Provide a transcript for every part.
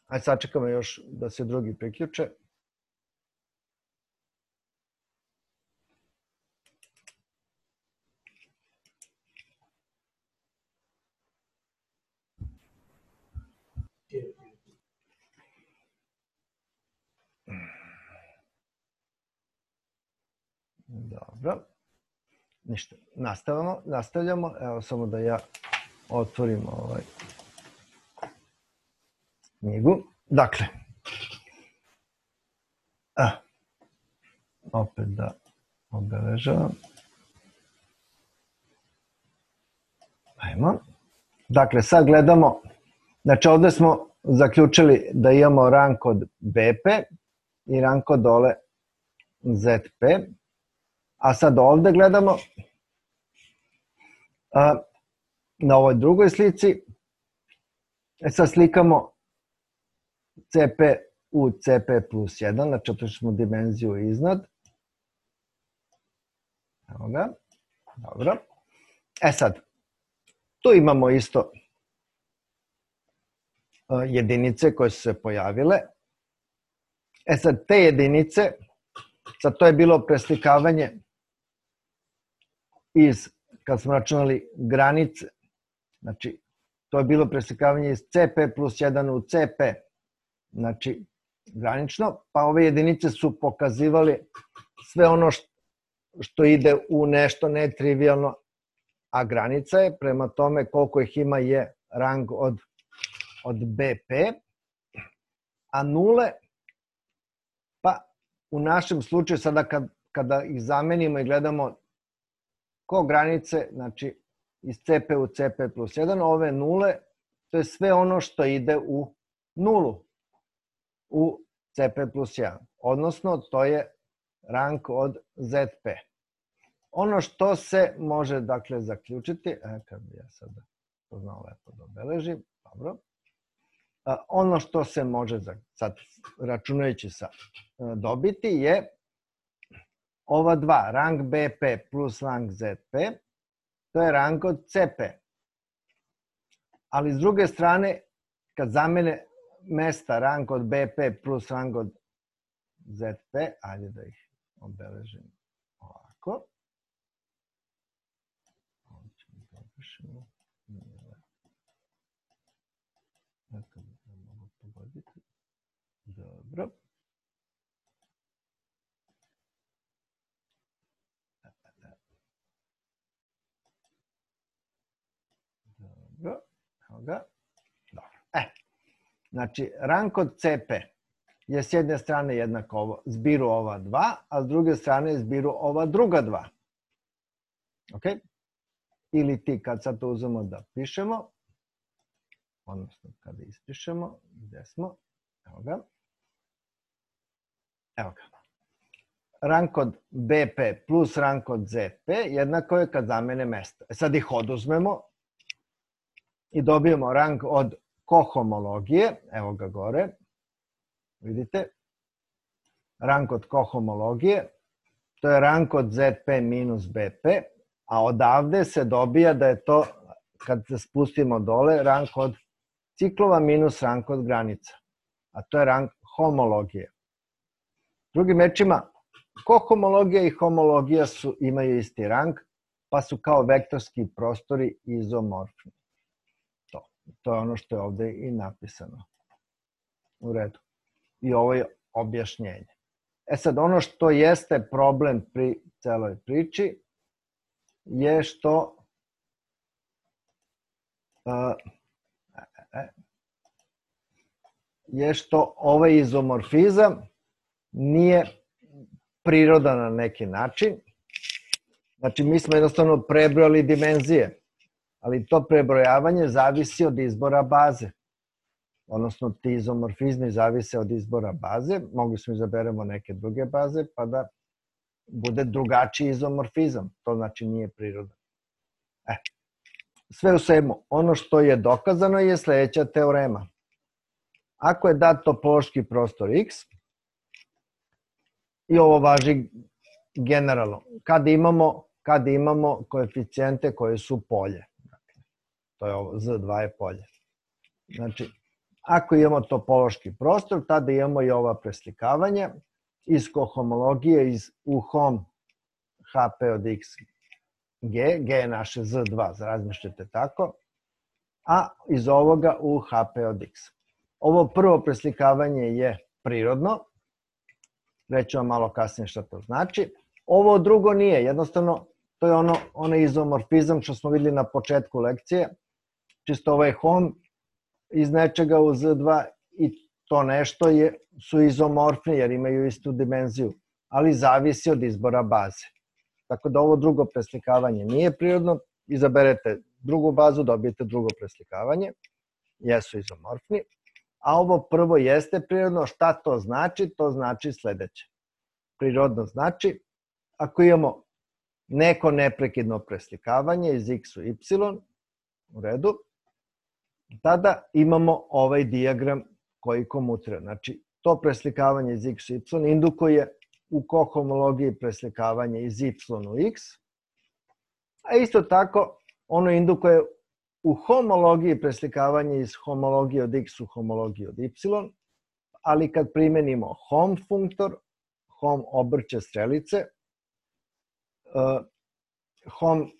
Ajde, sačekamo još da se drugi priključe. Dobro. Ništa. Nastavljamo. Evo samo da ja otvorim knjigu. Dakle, opet da obeležavam. Ajmo. Dakle, sad gledamo, znači ovde smo zaključili da imamo rang kod BP i rang kod dole ZP, a sad ovde gledamo na ovoj drugoj slici, sad slikamo CP u CP plus 1, znači otišli smo dimenziju iznad. Evo ga. Dobro. Sad, tu imamo isto jedinice koje su se pojavile. Sad, te jedinice, sad to je bilo preslikavanje kad smo računali granice, znači to je bilo preslikavanje iz CP plus 1 u CP, znači granično, pa ove jedinice su pokazivali sve ono što ide u nešto netrivialno, a granica je prema tome koliko ih ima je rang od BP, a nule, pa u našem slučaju sada kada ih zamenimo i gledamo ko granice, znači iz CP u CP plus 1, ove nule, to je sve ono što ide u nulu, u CP plus 1, odnosno to je rang od ZP. Ono što se može, dakle, zaključiti, kad bi ja sada to znao lepo da obeležim, dobro, ono što se može, sad računajući sa dobiti, je ova dva, rang BP plus rang ZP, to je rang od CP. Ali s druge strane, kad zamene mesta rang od BP plus rang od ZP, ajde da ih obeležim ovako. Ovo ćemo da opišemo. Nekako da mogu pogoditi. Dobro. Dobro, evo ga. Dobro. Znači, rang kod CP je s jedne strane jednako zbiru ova dva, a s druge strane zbiru ova druga dva. Ok? Ili ti kad sad to uzmemo da pišemo, odnosno kada ispišemo, gde smo, evo ga. Evo ga. Rang kod BP plus rang kod ZP jednako je kad zamene mesta. Sad ih oduzmemo i dobijemo rang od kohomologije, evo ga gore, vidite, rang od kohomologije, to je rang od ZP minus BP, a odavde se dobija da je to, kad se spustimo dole, rang od ciklova minus rang od granica, a to je rang homologije. Drugim rečima, kohomologija i homologija imaju isti rang, pa su kao vektorski prostori izomorfni. To je ono što je ovde i napisano. U redu. I ovo je objašnjenje. Sad, ono što jeste problem pri celoj priči je što ovaj izomorfizam nije prirodan na neki način. Znači, mi smo jednostavno prebrojali dimenzije, ali to prebrojavanje zavisi od izbora baze. Odnosno, ti izomorfizmi zavise od izbora baze. Mogli smo izaberemo neke druge baze, pa da bude drugačiji izomorfizam. To znači nije prirodan. Sve u svemu, ono što je dokazano je sledeća teorema. Ako je dat topološki prostor X, i ovo važi generalno, kada imamo koeficijente koje su polje. To je ovo, Z2 je polje. Znači, Ako imamo topološki prostor, tada imamo i ova preslikavanja iz kohomologije u hom HP od x g, g je naše z2, razmišljate tako, a iz ovoga u HP od x. Ovo prvo preslikavanje je prirodno, reću vam malo kasnije šta to znači. Ovo drugo nije, jednostavno to je onaj izomorfizam što smo videli na početku lekcije, čisto ovaj hom iz nečega u z2 i to nešto su izomorfni jer imaju istu dimenziju, ali zavisi od izbora baze. Tako da ovo drugo preslikavanje nije prirodno, izaberete drugu bazu, dobijete drugo preslikavanje, jesu izomorfni, a ovo prvo jeste prirodno. Šta to znači? To znači sledeće. Prirodno znači, ako imamo neko neprekidno preslikavanje iz x u y, u redu, tada imamo ovaj dijagram koji komutira. Znači, to preslikavanje iz x u y indukuje u kohomologiji preslikavanje iz y u x, a isto tako ono indukuje u homologiji preslikavanje iz homologije od x u homologiju od y, ali kad primenimo hom funktor, hom obrće strelice, hom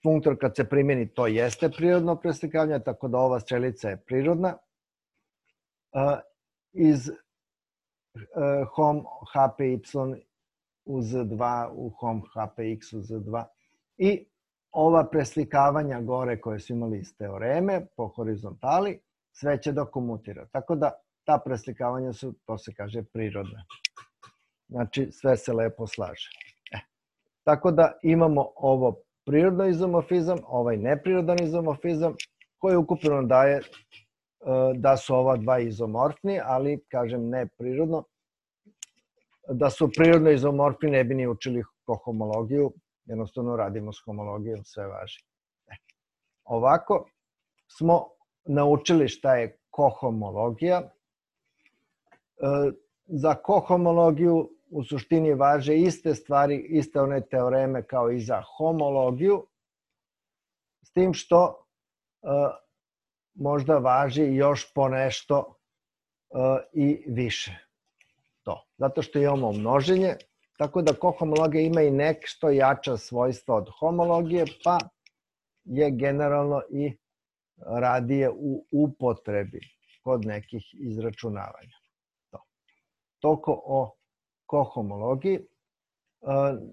funktor kad se primeni to jeste prirodno preslikavanje, tako da ova strelica je prirodna. Iz hom hpy u z2 u hom hpx u z2 i ova preslikavanja gore koje su imali iz teoreme po horizontali, sve će da komutira. Tako da ta preslikavanja su, to se kaže, prirodna. Znači, sve se lepo slaže. Tako da imamo ovo prirodno izomorfizam, ovaj neprirodan izomorfizam, koji ukupno daje da su ova dva izomorfni, ali, kažem, neprirodno. Da su prirodno izomorfni ne bi ni učili kohomologiju, jednostavno radimo s homologijom, sve važi. Ovako smo naučili šta je kohomologija. Za kohomologiju u suštini važe iste stvari, iste one teoreme kao i za homologiju, s tim što možda važi još ponešto i više to. Zato što imamo množenje, tako da kohomologija ima i nešto jača svojstva od homologije, pa je generalno i radije u upotrebi kod nekih izračunavanja. Toliko o kohomologiji.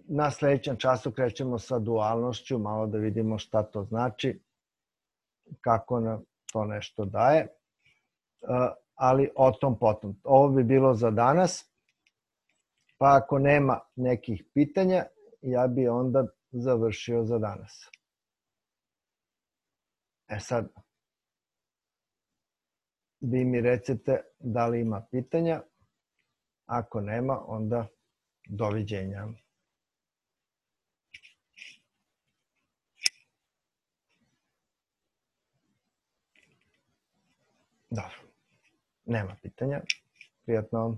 Na sledećem času krećemo sa dualnošću, malo da vidimo šta to znači, kako nam to nešto daje, ali o tom potom. Ovo bi bilo za danas, pa ako nema nekih pitanja, ja bi onda završio za danas. Sad, vi mi recite da li ima pitanja. Ako nema, onda doviđenja. Dobro, nema pitanja. Prijatno.